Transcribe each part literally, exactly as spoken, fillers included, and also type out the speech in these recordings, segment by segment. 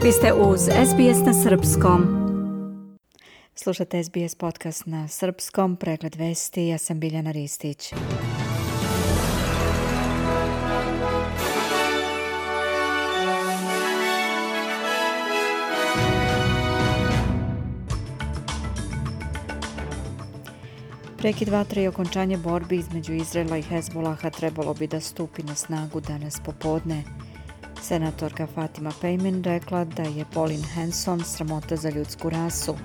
Vi ste uz S B S na srpskom. Slušate S B S podcast na srpskom, pregled vesti, ja sam Biljana Ristić. Prekid vatre i okončanje borbi između Izraela i Hezbolaha trebalo bi da stupi na snagu danas popodne. Senatorka Fatima Pejmen rekla da je Pauline Hanson sramota za ljudsku rasu.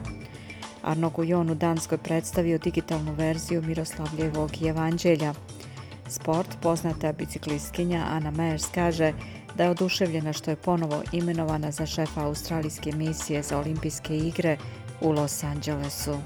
Arno Gujon u Danskoj predstavio digitalnu verziju Miroslavljevog evanđelja. Sport, poznata biciklistkinja Anna Meyers kaže da je oduševljena što je ponovo imenovana za šefa australijske misije za olimpijske igre u Los Angelesu.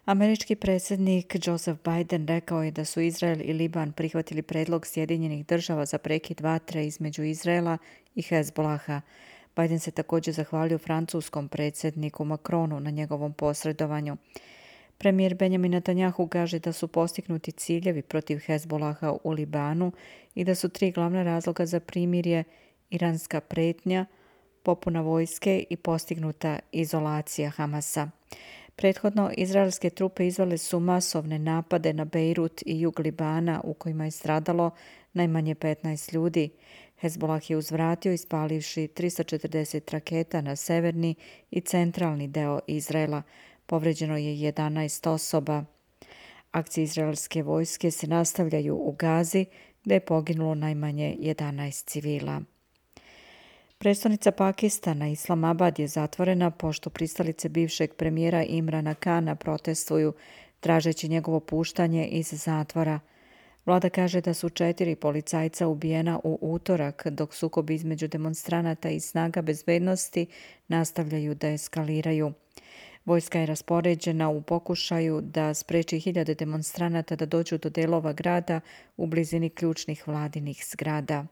Američki predsjednik Joseph Biden rekao je da su Izrael i Liban prihvatili predlog Sjedinjenih država za prekid vatre između Izraela i Hezbolaha. Biden se također zahvalio francuskom predsjedniku Macronu na njegovom posredovanju. Premijer Benjamin Netanjahu kaže da su postignuti ciljevi protiv Hezbolaha u Libanu i da su tri glavna razloga za primirje iranska pretnja, popuna vojske i postignuta izolacija Hamasa. Prethodno, izraelske trupe izvele su masovne napade na Bejrut i jug Libana u kojima je stradalo najmanje petnaest ljudi. Hezbolah je uzvratio ispalivši tristo četrdeset raketa na severni i centralni deo Izraela. Povređeno je jedanaest osoba. Akcije izraelske vojske se nastavljaju u Gazi, gdje je poginulo najmanje jedanaest civila. Prestonica Pakistana, Islamabad, je zatvorena pošto pristalice bivšeg premijera Imrana Kana protestuju tražeći njegovo puštanje iz zatvora. Vlada kaže da su četiri policajca ubijena u utorak, dok sukobi između demonstranata i snaga bezbednosti nastavljaju da eskaliraju. Vojska je raspoređena u pokušaju da spreči hiljade demonstranata da dođu do delova grada u blizini ključnih vladinih zgrada.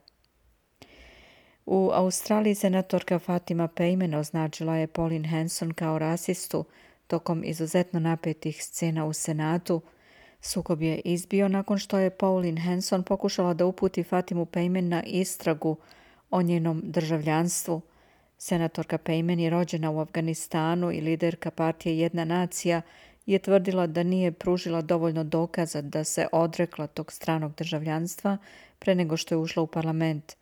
U Australiji senatorka Fatima Pejmen označila je Pauline Hanson kao rasistu tokom izuzetno napetih scena u Senatu. Sukob je izbio nakon što je Pauline Hanson pokušala da uputi Fatimu Pejmen na istragu o njenom državljanstvu. Senatorka Pejmen je rođena u Afganistanu i liderka partije Jedna nacija je tvrdila da nije pružila dovoljno dokaza da se odrekla tog stranog državljanstva pre nego što je ušla u parlament.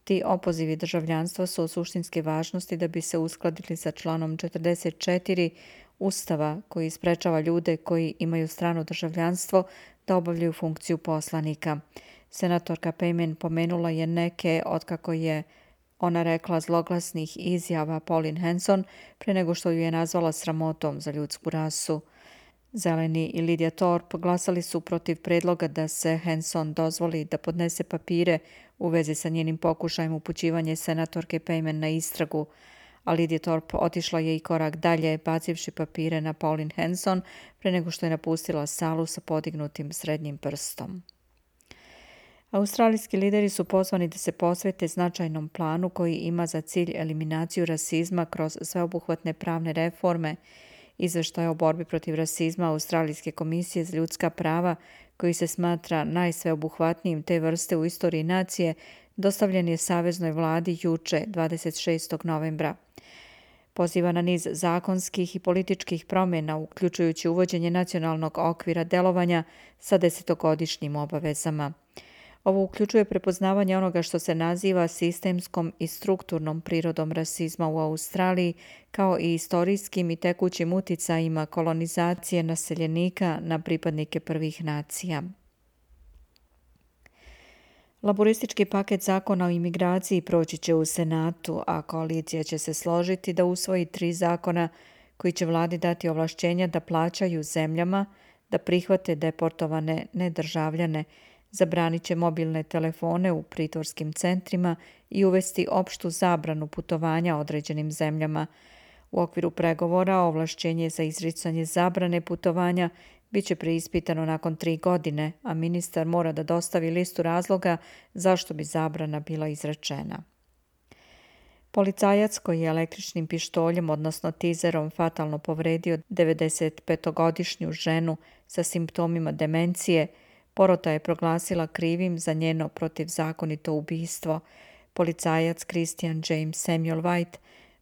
Ti opozivi državljanstva su od suštinske važnosti da bi se uskladili sa članom četrdeset četiri Ustava koji sprečava ljude koji imaju strano državljanstvo da obavljaju funkciju poslanika. Senatorka Pejmen pomenula je neke od, kako je ona rekla, zloglasnih izjava Pauline Hanson pre nego što ju je nazvala sramotom za ljudsku rasu. Zeleni i Lydia Thorpe glasali su protiv predloga da se Hanson dozvoli da podnese papire u vezi sa njenim pokušajem upućivanja senatorke Pejmen na istragu, a Lydia Thorpe otišla je i korak dalje, bacivši papire na Pauline Hanson pre nego što je napustila salu sa podignutim srednjim prstom. Australijski lideri su pozvani da se posvete značajnom planu koji ima za cilj eliminaciju rasizma kroz sveobuhvatne pravne reforme. Izveštaj o borbi protiv rasizma Australijske komisije za ljudska prava, koji se smatra najsveobuhvatnijim te vrste u istoriji nacije, dostavljen je Saveznoj vladi juče, dvadeset šestog novembra. Poziva na niz zakonskih i političkih promjena, uključujući uvođenje nacionalnog okvira delovanja sa desetogodišnjim obavezama. Ovo uključuje prepoznavanje onoga što se naziva sistemskom i strukturnom prirodom rasizma u Australiji, kao i istorijskim i tekućim uticajima kolonizacije naseljenika na pripadnike prvih nacija. Laboristički paket zakona o imigraciji proći će u Senatu, a koalicija će se složiti da usvoji tri zakona koji će vladi dati ovlašćenja da plaćaju zemljama, da prihvate deportovane nedržavljane, zabranit će mobilne telefone u pritvorskim centrima i uvesti opštu zabranu putovanja određenim zemljama. U okviru pregovora ovlašćenje za izricanje zabrane putovanja bit će preispitano nakon tri godine, a ministar mora da dostavi listu razloga zašto bi zabrana bila izrečena. Policajac koji je električnim pištoljem, odnosno tizerom, fatalno povredio devedesetpetogodišnju ženu sa simptomima demencije, porota je proglasila krivim za njeno protivzakonito ubistvo. Policajac Christian James Samuel White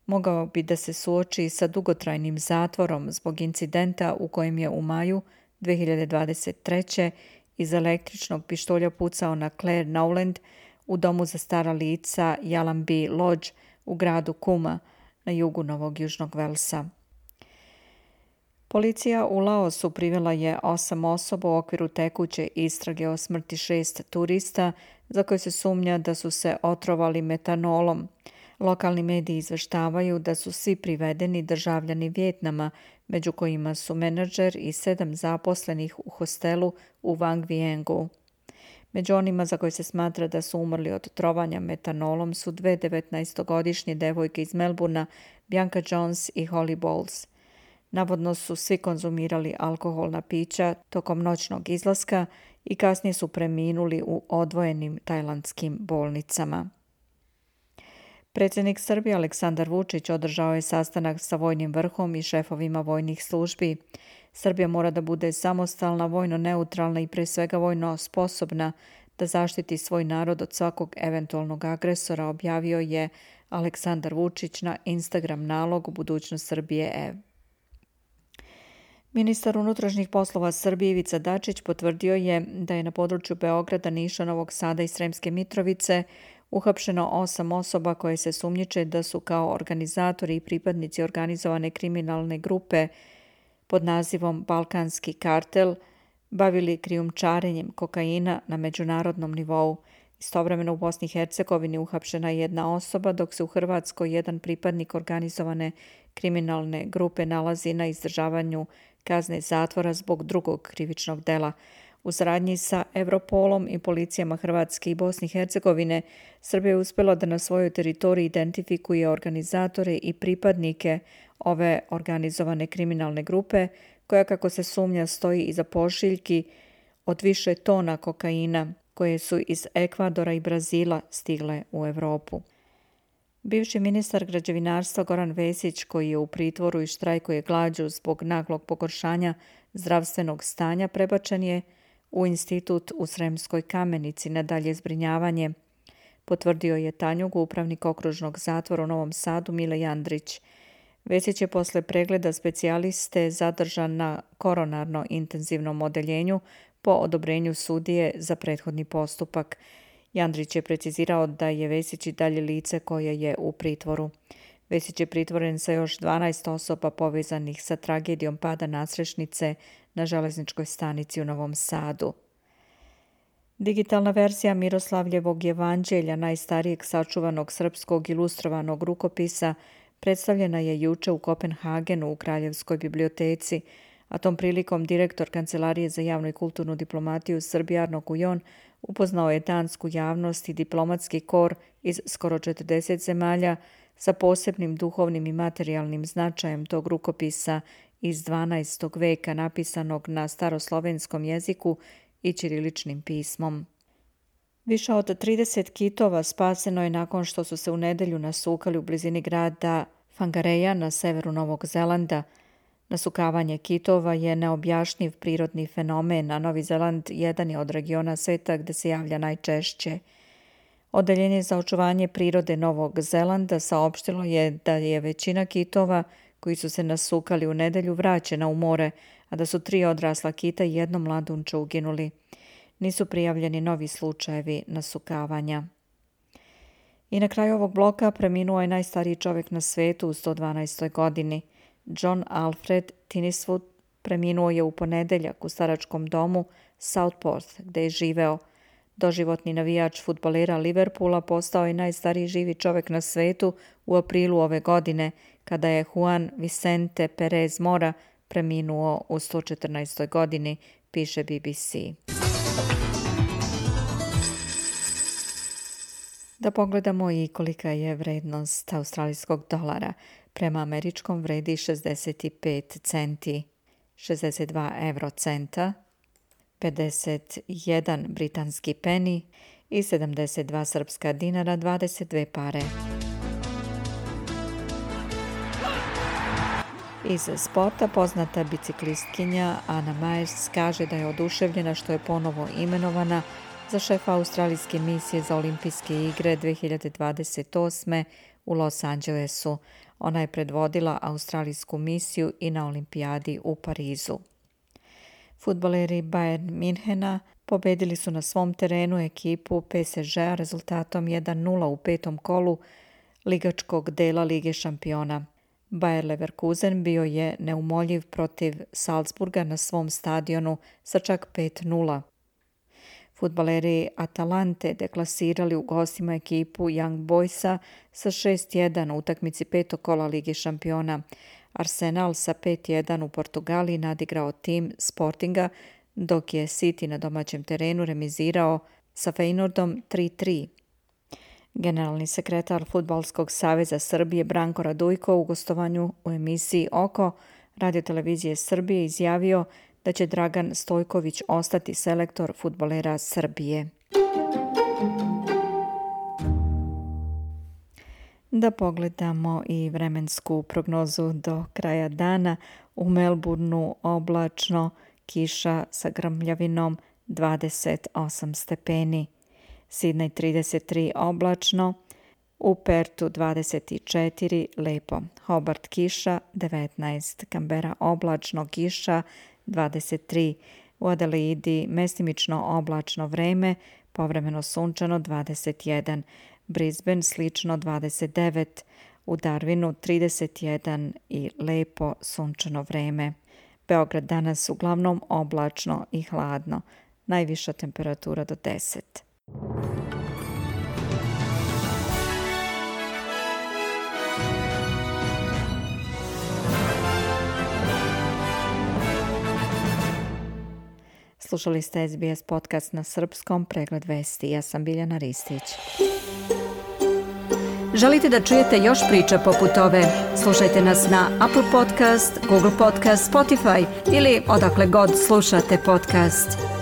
mogao bi da se suoči sa dugotrajnim zatvorom zbog incidenta u kojem je u maju dve hiljade dvadeset treće iz električnog pištolja pucao na Claire Nowland u domu za stara lica Yallambee Lodge u gradu Kuma na jugu Novog Južnog Velsa. Policija u Laosu privela je osam osoba u okviru tekuće istrage o smrti šest turista za koje se sumnja da su se otrovali metanolom. Lokalni mediji izveštavaju da su svi privedeni državljani Vijetnama, među kojima su menadžer i sedam zaposlenih u hostelu u Vang Viengu. Među onima za koje se smatra da su umrli od trovanja metanolom su dve devetnaestogodišnje devojke iz Melbourna, Bianca Jones i Holly Bowles. Navodno su svi konzumirali alkoholna pića tokom noćnog izlaska i kasnije su preminuli u odvojenim tajlandskim bolnicama. Predsjednik Srbije Aleksandar Vučić održao je sastanak sa vojnim vrhom i šefovima vojnih službi. Srbija mora da bude samostalna, vojno neutralna i pre svega vojno sposobna da zaštiti svoj narod od svakog eventualnog agresora, objavio je Aleksandar Vučić na Instagram nalogu Budućnost Srbije E. Ministar unutrašnjih poslova Srbije Ivica Dačić potvrdio je da je na području Beograda, Niša, Novog Sada i Sremske Mitrovice uhapšeno osam osoba koje se sumnjiče da su kao organizatori i pripadnici organizovane kriminalne grupe pod nazivom Balkanski kartel bavili krijumčarenjem kokaina na međunarodnom nivou. Istovremeno u Bosni i Hercegovini uhapšena je jedna osoba, dok se u Hrvatskoj jedan pripadnik organizovane kriminalne grupe nalazi na izdržavanju kazne zatvora zbog drugog krivičnog dela. U saradnji sa Europolom i policijama Hrvatske i Bosne i Hercegovine, Srbija je uspjela da na svojoj teritoriji identifikuje organizatore i pripadnike ove organizovane kriminalne grupe, koja, kako se sumnja, stoji iza pošiljki od više tona kokaina, koje su iz Ekvadora i Brazila stigle u Europu. Bivši ministar građevinarstva Goran Vesić, koji je u pritvoru i štrajkuje glađu zbog naglog pogoršanja zdravstvenog stanja, prebačen je u institut u Sremskoj Kamenici na dalje zbrinjavanje, potvrdio je Tanjugu, upravnik okružnog zatvora u Novom Sadu Mile Jandrić. Vesić je posle pregleda specijaliste zadržan na koronarno intenzivnom odeljenju po odobrenju sudije za prethodni postupak. Jandrić je precizirao da je Vesić i dalje lice koje je u pritvoru. Vesić je pritvoren sa još dvanaest osoba povezanih sa tragedijom pada nadstrešnice na železničkoj stanici u Novom Sadu. Digitalna verzija Miroslavljevog jevanđelja, najstarijeg sačuvanog srpskog ilustrovanog rukopisa, predstavljena je juče u Kopenhagenu u Kraljevskoj biblioteci, a tom prilikom direktor Kancelarije za javnu i kulturnu diplomatiju Srbije Arno Kujon upoznao je dansku javnost i diplomatski kor iz skoro četrdeset zemalja sa posebnim duhovnim i materijalnim značajem tog rukopisa iz dvanaestog veka, napisanog na staroslovenskom jeziku i ćiriličnim pismom. Više od trideset kitova spaseno je nakon što su se u nedelju nasukali u blizini grada Whangareja na severu Novog Zelanda. Nasukavanje kitova je neobjašnjiv prirodni fenomen, a Novi Zeland jedan je od regiona sveta gde se javlja najčešće. Odeljenje za očuvanje prirode Novog Zelanda saopštilo je da je većina kitova koji su se nasukali u nedelju vraćena u more, a da su tri odrasla kita i jedno mladunče uginuli. Nisu prijavljeni novi slučajevi nasukavanja. I na kraju ovog bloka preminuo je najstariji čovjek na svetu u sto dvanaestoj godini. John Alfred Tyneswood preminuo je u ponedeljak u staračkom domu Southport, gde je živeo. Doživotni navijač fudbalera Liverpoola postao je najstariji živi čovjek na svetu u aprilu ove godine, kada je Juan Vicente Perez Mora preminuo u sto četrnaestoj godini, piše B B C. Da pogledamo i kolika je vrednost australijskog dolara. Prema američkom vredi šezdeset pet centi, šezdeset dva euro centa, pedeset jedan britanski peni i sedamdeset dva srpska dinara, dvadeset dve pare. Iz sporta poznata biciklistkinja Anna Myers kaže da je oduševljena što je ponovo imenovana za šefa australijske misije za olimpijske igre dve hiljade dvadeset osme u Los Angelesu. Ona je predvodila australijsku misiju i na olimpijadi u Parizu. Fudbaleri Bayern Minhena pobedili su na svom terenu ekipu P S G-a rezultatom jedan nula u petom kolu ligačkog dela Lige šampiona. Bayer Leverkusen bio je neumoljiv protiv Salzburga na svom stadionu sa čak pet nula. Fudbaleri Atalante deklasirali u gostima ekipu Young Boysa sa šest jedan u utakmici petog kola Lige šampiona. Arsenal sa pet jedan u Portugaliji nadigrao tim Sportinga, dok je City na domaćem terenu remizirao sa Feyenoordom tri tri. Generalni sekretar Fudbalskog saveza Srbije Branko Radujko u gostovanju u emisiji Oko radiotelevizije Srbije izjavio da će Dragan Stojković ostati selektor fudbalera Srbije. Da pogledamo i vremensku prognozu do kraja dana. U Melbourneu oblačno, kiša sa grmljavinom dvadeset osam stepeni. Sidney trideset tri oblačno, u Pertu dvadeset četiri lepo. Hobart kiša devetnaest, Canberra oblačno, kiša dvadeset tri, u Adelaidi mestimično oblačno vreme, povremeno sunčano dvadeset jedan, Brisbane slično dvadeset devet, u Darwinu trideset jedan i lepo sunčano vreme. Beograd danas uglavnom oblačno i hladno, najviša temperatura do deset. Slušali ste S B S podcast na srpskom, pregled vesti. Ja sam Biljana Ristić. Želite da čujete još priča poput ove? Slušajte nas na Apple Podcast, Google Podcast, Spotify ili odakle god slušate podcast.